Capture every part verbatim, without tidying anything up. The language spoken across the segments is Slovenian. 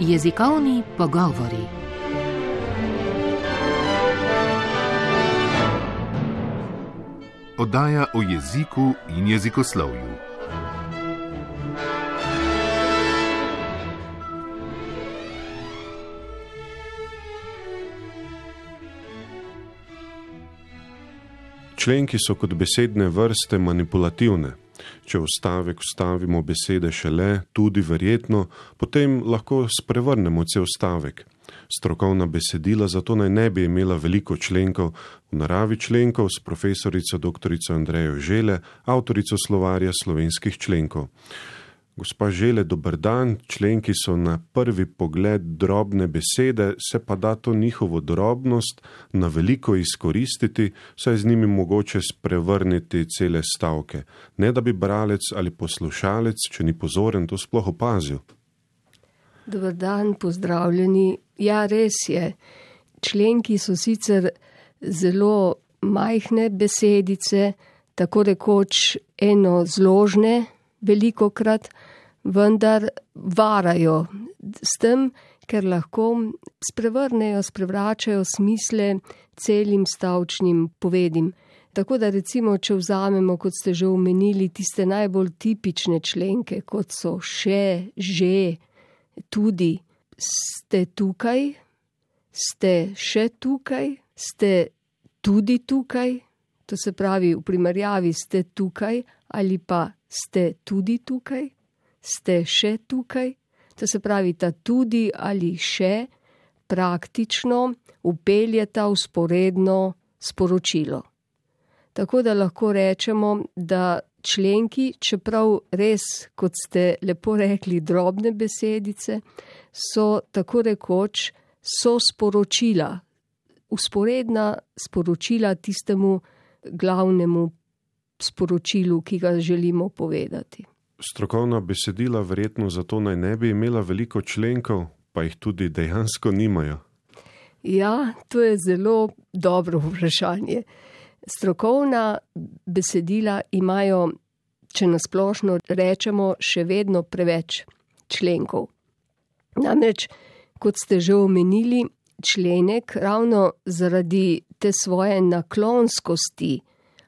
Jezikovni pogovori. Oddaja o jeziku in jezikoslovju. Členki so kot besedne vrste manipulativne. Če v stavek vstavimo besede šele, tudi verjetno, potem lahko sprevrnemo cel stavek. Strokovna besedila zato naj ne bi imela veliko členkov, v naravi členkov s profesorico doktorico Andrejo Žele, avtorico slovarja slovenskih členkov. Gospa Žele, dober dan. Členki so na prvi pogled drobne besede, se pa da to njihovo drobnost na veliko izkoristiti, saj z njimi mogoče sprevrniti cele stavke. Ne da bi bralec ali poslušalec, če ni pozoren, to sploh opazil. Dober dan, pozdravljeni. Ja, res je. Členki so sicer zelo majhne besedice, tako rekoč enozložne, velikokrat, vendar varajo s tem, ker lahko sprevrnejo, sprevračajo smisle celim stavčnim povedim. Tako da recimo, če vzamemo, kot ste že omenili, tiste najbolj tipične členke, kot so še, že, tudi, ste tukaj, ste še tukaj, ste tudi tukaj, to se pravi v primerjavi ste tukaj ali pa ste tudi tukaj, ste še tukaj, to se pravi ta tudi ali še praktično vpeljeta vzporedno sporočilo. Tako da lahko rečemo, da členki, čeprav res, kot ste lepo rekli, drobne besedice, so tako rekoč so sporočila, vzporedna sporočila tistemu glavnemu sporočilu, ki ga želimo povedati. Strokovna besedila verjetno zato naj ne bi imela veliko členkov, pa jih tudi dejansko nimajo. Ja, to je zelo dobro vprašanje. Strokovna besedila imajo, če nasplošno rečemo, še vedno preveč členkov. Namreč, kot ste že omenili, členek ravno zaradi te svoje naklonskosti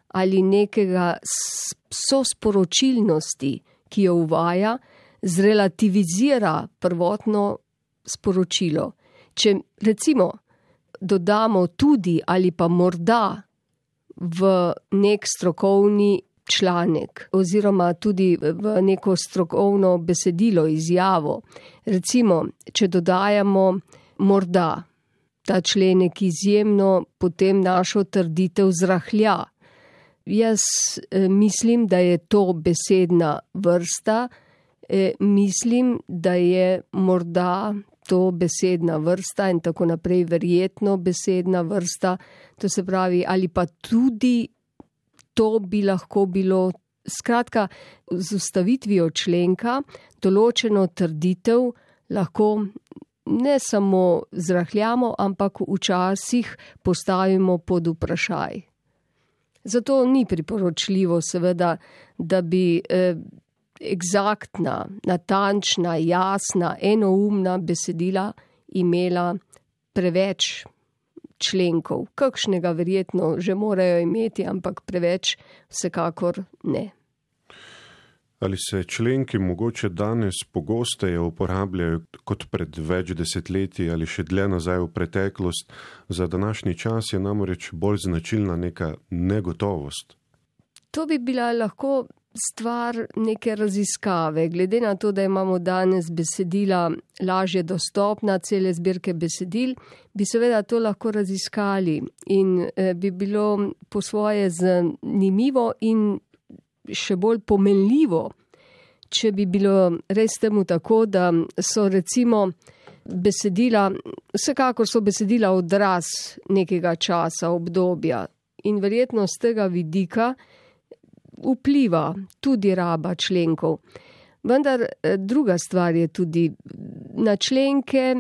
ali nekega sosporočilnosti, ki jo uvaja, zrelativizira prvotno sporočilo. Če recimo dodamo tudi ali pa morda v nek strokovni članek oziroma tudi v neko strokovno besedilo, izjavo, recimo, če dodajamo morda, ta členek izjemno potem našo trditev zrahlja. Jaz eh, mislim, da je to besedna vrsta, eh, mislim, da je morda to besedna vrsta in tako naprej verjetno besedna vrsta, to se pravi, ali pa tudi to bi lahko bilo, skratka, z ustavitvijo členka določeno trditev lahko ne samo zrahljamo, ampak včasih postavimo pod vprašaj. Zato ni priporočljivo seveda, da bi eh, eksaktna, natančna, jasna, enoumna besedila imela preveč členkov. Kakšnega verjetno že morajo imeti, ampak preveč vsekakor ne. Ali se členki mogoče danes pogosteje uporabljajo kot pred več desetletji ali še dlje nazaj v preteklost? Za današnji čas je namreč bolj značilna neka negotovost. To bi bila lahko stvar neke raziskave. Glede na to, da imamo danes besedila lažje dostopna, cele zbirke besedil, bi seveda to lahko raziskali in eh, bi bilo po svoje zanimivo in še bolj pomenljivo, če bi bilo res temu tako, da so recimo besedila, vsekakor so besedila odraz nekega časa, obdobja in verjetno z tega vidika vpliva tudi raba členkov. Vendar druga stvar je tudi, na členke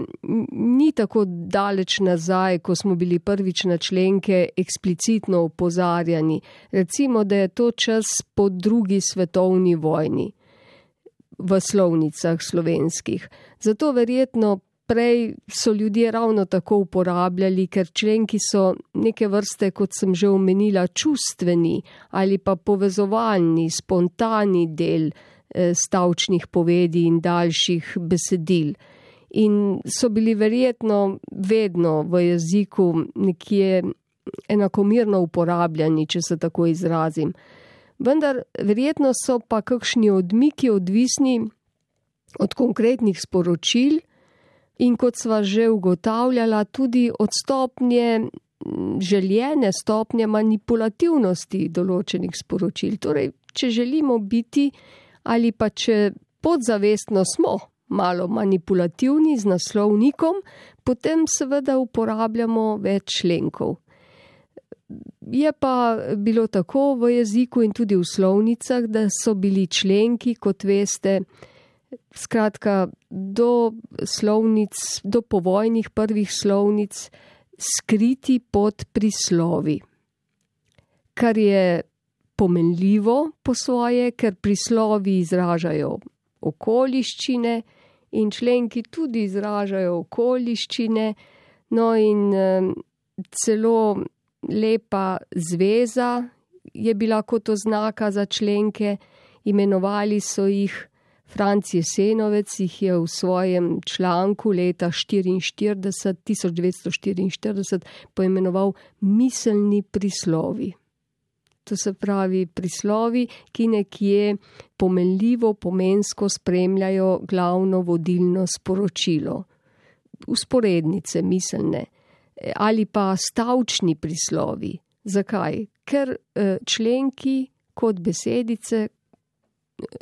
ni tako daleč nazaj, ko smo bili prvič na členke eksplicitno opozarjani. Recimo, da je to čas po drugi svetovni vojni. v slovnicah slovenskih. Zato verjetno prej so ljudje ravno tako uporabljali, ker členki so neke vrste, kot sem že omenila, čustveni ali pa povezovalni, spontani del eh, stavčnih povedi in daljših besedil. In so bili verjetno vedno v jeziku nekje enakomerno uporabljani, če se tako izrazim. Vendar verjetno so pa kakšni odmiki odvisni od konkretnih sporočil in kot sva že ugotavljala, tudi od stopnje, željene stopnje manipulativnosti določenih sporočil. Torej, če želimo biti ali pa če podzavestno smo malo manipulativni z naslovnikom, potem seveda uporabljamo več členkov. Je pa bilo tako v jeziku in tudi v slovnicah, da so bili členki, kot veste, skratka, do slovnic, do povojnih prvih slovnic skriti pod prislovi. Kar je pomenljivo po svoje, ker prislovi izražajo okoliščine in členki tudi izražajo okoliščine, no in um, celo lepa zveza je bila kot oznaka za členke, imenovali so jih, Franc Jesenovec jih je v svojem članku leta tisoč devetsto štiriinštirideset poimenoval miselni prislovi. To se pravi prislovi, ki nekje pomenljivo, pomensko spremljajo glavno vodilno sporočilo. Usporednice miselne ali pa stavčni prislovi. Zakaj? Ker členki kot besedice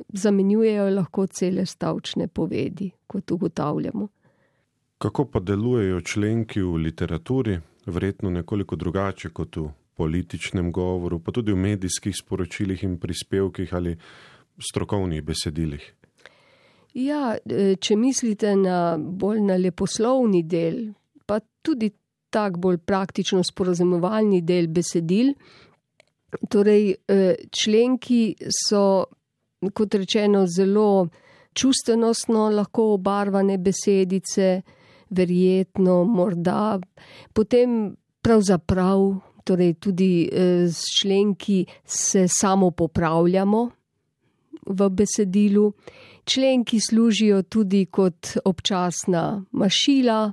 zamenjujejo lahko cele stavčne povedi, kot ugotavljamo. Kako pa delujejo členki v literaturi? Verjetno nekoliko drugače kot v političnem govoru, pa tudi v medijskih sporočilih in prispevkih ali strokovnih besedilih. Ja, če mislite na bolj na leposlovni del, pa tudi tak bolj praktično sporazumevalni del besedil, torej členki so, kot rečeno, zelo čustvenostno lahko obarvane besedice, verjetno, morda, potem pravzaprav, torej tudi s členki se samo popravljamo v besedilu. Členki služijo tudi kot občasna mašila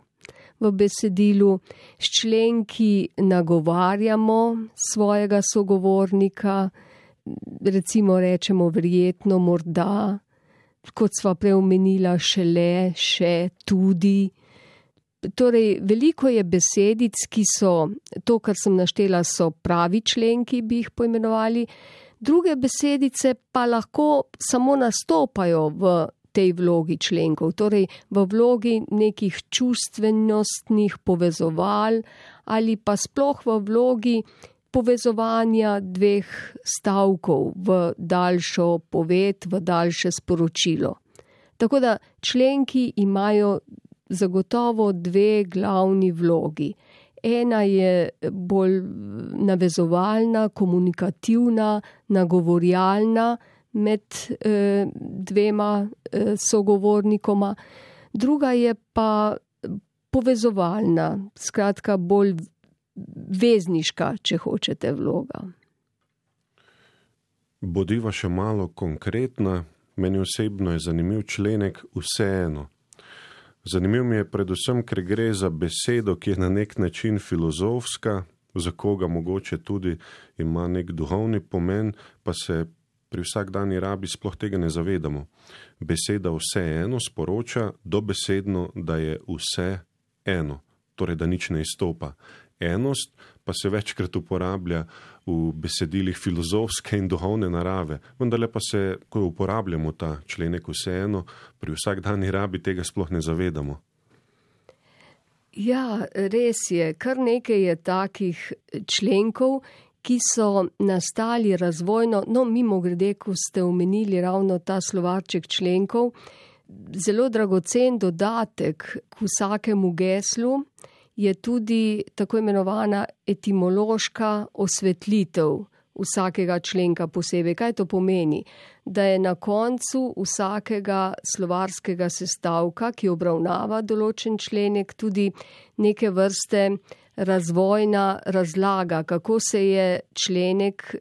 v besedilu, s členki nagovarjamo svojega sogovornika, recimo rečemo verjetno, morda, kot sva preomenila, šele, še, tudi. Torej, veliko je besedic, ki so, to, kar sem naštela, so pravi členki, bi jih poimenovali, druge besedice pa lahko samo nastopajo v tej vlogi členkov, torej v vlogi nekih čustvenostnih povezoval ali pa sploh v vlogi povezovanja dveh stavkov v daljšo poved, v daljše sporočilo. Tako da členki imajo zagotovo dve glavni vlogi. Ena je bolj navezovalna, komunikativna, nagovorjalna med eh, dvema eh, sogovornikoma. Druga je pa povezovalna, skratka bolj vezniška, če hočete, vloga. Bodiva še malo konkretna. Meni osebno je zanimiv členek Vseeno. Zanimiv mi je predvsem, ker gre za besedo, ki je na nek način filozofska, za koga mogoče tudi ima nek duhovni pomen, pa se pri vsakdanji rabi sploh tega ne zavedamo. Beseda vseeno sporoča dobesedno, da je vse eno, torej da nič ne izstopa. Enost pa se večkrat uporablja v besedilih filozofske in duhovne narave, vendar pa se, ko uporabljamo ta členek vseeno, pri vsakdanji rabi tega sploh ne zavedamo. Ja, res je, kar nekaj je takih členkov, ki so nastali razvojno, no mimogrede, ko ste omenili ravno ta slovarček členkov, zelo dragocen dodatek k vsakemu geslu je tudi tako imenovana etimološka osvetlitev vsakega členka posebej. Kaj to pomeni? Da je na koncu vsakega slovarskega sestavka, ki obravnava določen členek, tudi neke vrste razvojna razlaga, kako se je členek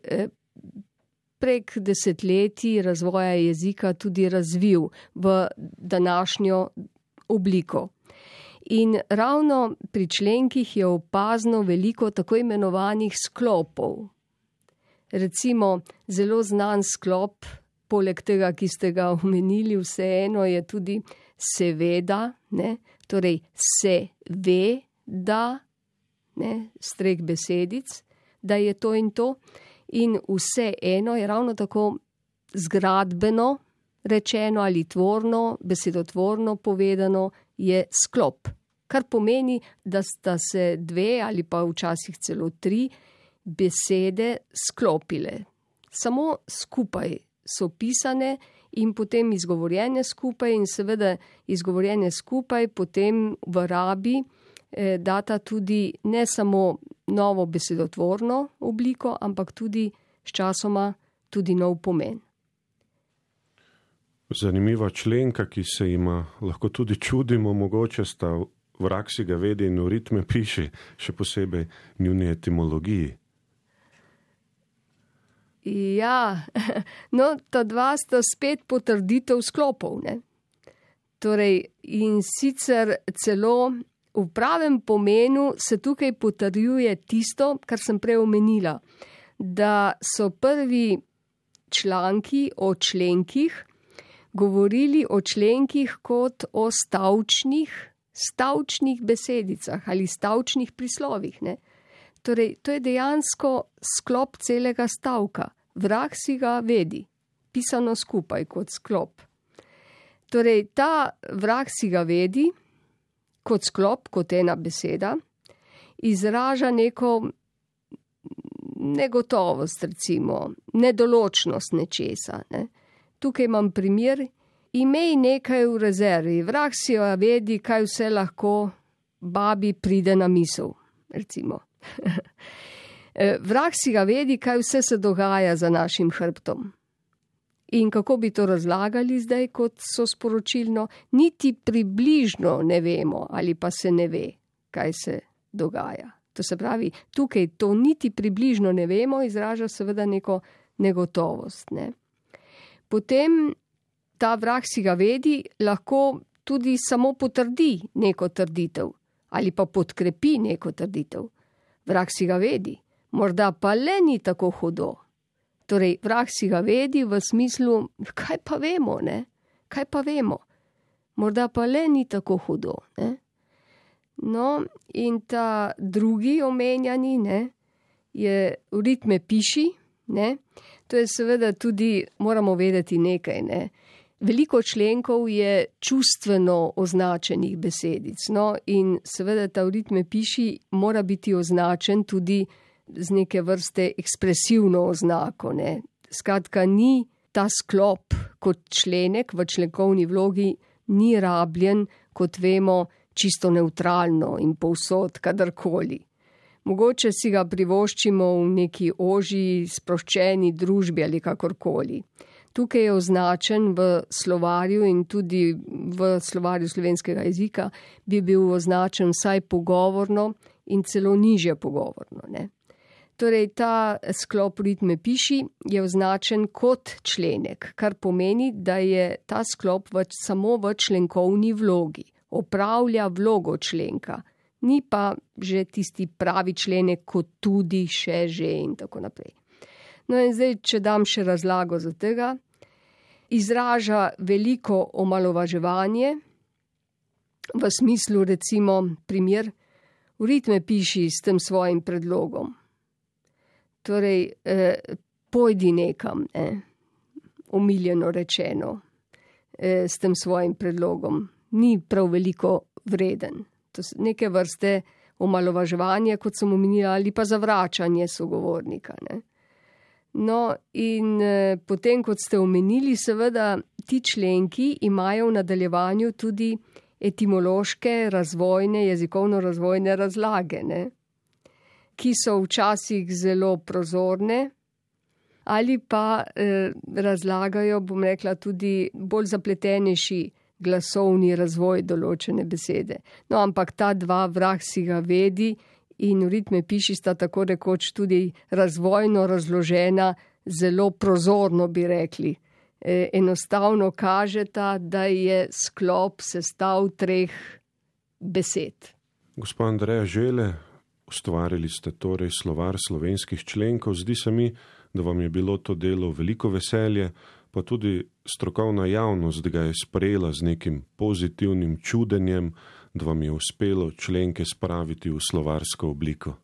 prek desetletij razvoja jezika tudi razvil v današnjo obliko. In ravno pri členkih je opazno veliko tako imenovanih sklopov. Recimo zelo znan sklop, poleg tega, ki ste ga omenili, vseeno je tudi seveda, ne? Torej se ve, da, ne? Streh besedic, da je to in to. In vseeno je ravno tako zgradbeno rečeno ali tvorno, besedotvorno povedano, je sklop. Kar pomeni, da sta se dve ali pa včasih celo tri besede sklopile. Samo skupaj so pisane in potem izgovorjene skupaj in seveda izgovorjene skupaj potem v rabi eh, data tudi ne samo novo besedotvorno obliko, ampak tudi sčasoma tudi nov pomen. Zanimiva členka, ki se ima lahko tudi čudimo, mogoče sta Vrag si ga vedi in v ritme piši, še posebej njuni etimologiji. Ja, no, ta dva sta spet potrditev sklopov, ne? Torej, in sicer celo v pravem pomenu se tukaj potrjuje tisto, kar sem prej omenila, da so prvi članki o členkih govorili o členkih kot o stavčnih, stavčnih besedicah ali stavčnih prislovih, ne? Torej, to je dejansko sklop celega stavka. Vrag si ga vedi, pisano skupaj kot sklop. Torej, ta vrag si ga vedi kot sklop, kot ena beseda, izraža neko negotovost, recimo, nedoločnost nečesa, ne? Tukaj imam primer, imej nekaj v rezervi, vrag si jo vedi, kaj vse lahko babi pride na misel, recimo. Vrag si ga vedi, kaj vse se dogaja za našim hrbtom. In kako bi to razlagali zdaj, kot so sporočilno, niti približno ne vemo ali pa se ne ve, kaj se dogaja. To se pravi, tukaj to niti približno ne vemo, izraža seveda neko negotovost, ne. Potem ta vrag si ga vedi, lahko tudi samo potrdi neko trditev ali pa podkrepi neko trditev. Vrag si ga vedi, morda pa le ni tako hudo. Torej, vrag si ga vedi v smislu, kaj pa vemo, ne? Kaj pa vemo? Morda pa le ni tako hudo, ne? No, in ta drugi omenjani, ne, je v ritme piši, ne? To je seveda tudi, moramo vedeti nekaj, ne. Veliko členkov je čustveno označenih besedic, no, in seveda ta v ritme piši mora biti označen tudi z neke vrste ekspresivno oznako, ne. Skratka, ni ta sklop kot členek v členkovni vlogi, ni rabljen, kot vemo, čisto nevtralno in povsod, kadarkoli. Mogoče si ga privoščimo v neki ožji, sproščeni družbi ali kakorkoli. Tukaj je označen v slovarju in tudi v slovarju slovenskega jezika bi bil označen vsaj pogovorno in celo nižje pogovorno, ne. Torej, ta sklop ritme piši je označen kot členek, kar pomeni, da je ta sklop v, samo v členkovni vlogi, opravlja vlogo členka. Ni pa že tisti pravi členek, kot tudi še že in tako naprej. No in zdaj, če dam še razlago za tega, izraža veliko omalovaževanje, v smislu recimo primer, v ritme piši s tem svojim predlogom. Torej, eh, pojdi nekam, ne, omiljeno rečeno, eh, s tem svojim predlogom. Ni prav veliko vreden. To so neke vrste omalovaževanje, kot sem omenila, ali pa zavračanje sogovornika, ne. No, in eh, potem, kot ste omenili, seveda ti členki imajo v nadaljevanju tudi etimološke, razvojne, jezikovno-razvojne razlage, ne, ki so včasih zelo prozorne, ali pa eh, razlagajo, bom rekla, tudi bolj zapletenejši glasovni razvoj določene besede. No, ampak ta dva, vrag si ga vedi, in v ritme piši sta tako rekoč tudi razvojno razložena, zelo prozorno bi rekli. E, enostavno kažeta, da je sklop sestav treh besed. Gospa Andreja Žele, ustvarili ste torej slovar slovenskih členkov. Zdi se mi, da vam je bilo to delo veliko veselje, pa tudi strokovna javnost ga je sprejela z nekim pozitivnim čudenjem, da vam je uspelo členke spraviti v slovarsko obliko.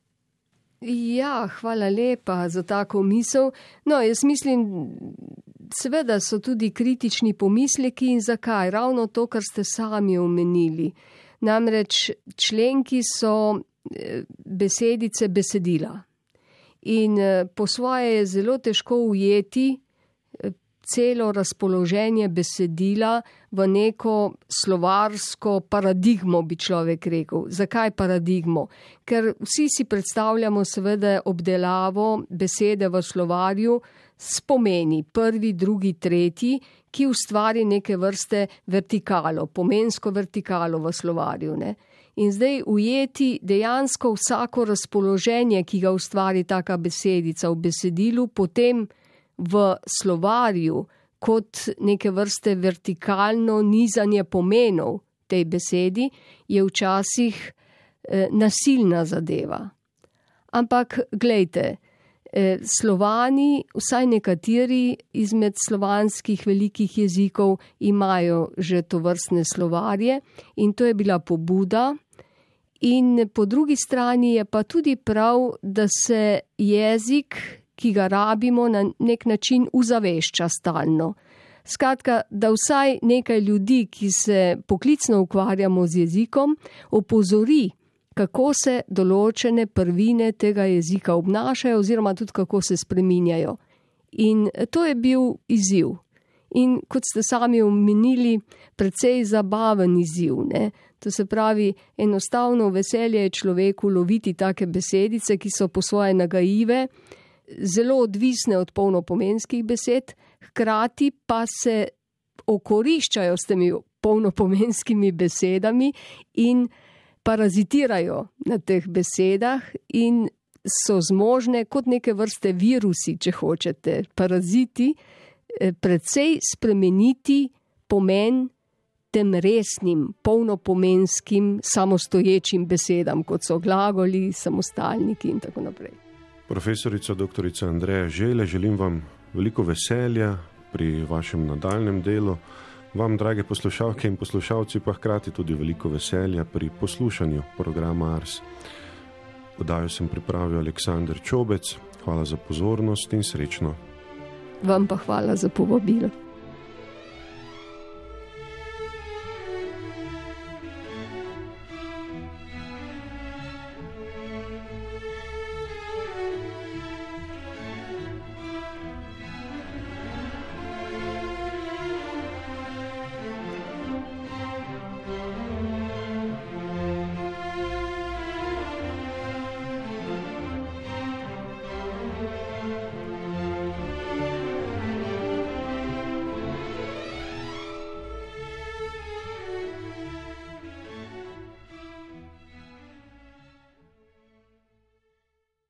Ja, hvala lepa za tako misel. No, jaz mislim, seveda so tudi kritični pomisleki in zakaj? Ravno to, kar ste sami omenili. Namreč členki so besedice besedila. In po svoje je zelo težko ujeti celo razpoloženje besedila v neko slovarsko paradigmo, bi človek rekel. Zakaj paradigmo? Ker vsi si predstavljamo seveda obdelavo besede v slovarju s pomeni, prvi, drugi, tretji, ki ustvari neke vrste vertikalo, pomensko vertikalo v slovarju, ne? In zdaj ujeti dejansko vsako razpoloženje, ki ga ustvari taka besedica v besedilu, potem v slovarju kot neke vrste vertikalno nizanje pomenov tej besedi, je včasih eh, nasilna zadeva. Ampak glejte, eh, Slovani, vsaj nekateri izmed slovanskih velikih jezikov imajo že tovrstne slovarje in to je bila pobuda. In po drugi strani je pa tudi prav, da se jezik, ki ga rabimo, na nek način uzavešča stalno. Skratka, da vsaj nekaj ljudi, ki se poklicno ukvarjamo z jezikom, opozori, kako se določene prvine tega jezika obnašajo oziroma tudi kako se spreminjajo. In to je bil izziv. In kot ste sami omenili, precej zabaven izziv, ne? To se pravi, enostavno veselje je človeku loviti take besedice, ki so po svoje nagajive, zelo odvisne od polnopomenskih besed, hkrati pa se okoriščajo s temi polnopomenskimi besedami in parazitirajo na teh besedah in so zmožne kot neke vrste virusi, če hočete, paraziti, precej spremeniti pomen tem resnim, polnopomenskim, samostoječim besedam, kot so glagoli, samostalniki in tako naprej. Profesorica doktorica Andreja Žele, želim vam veliko veselja pri vašem nadaljnem delu. Vam, drage poslušalke in poslušalci, pa hkrati tudi veliko veselja pri poslušanju programa Ars. Oddajo sem pripravil Aleksander Čobec. Hvala za pozornost in srečno. Vam pa hvala za povabilo.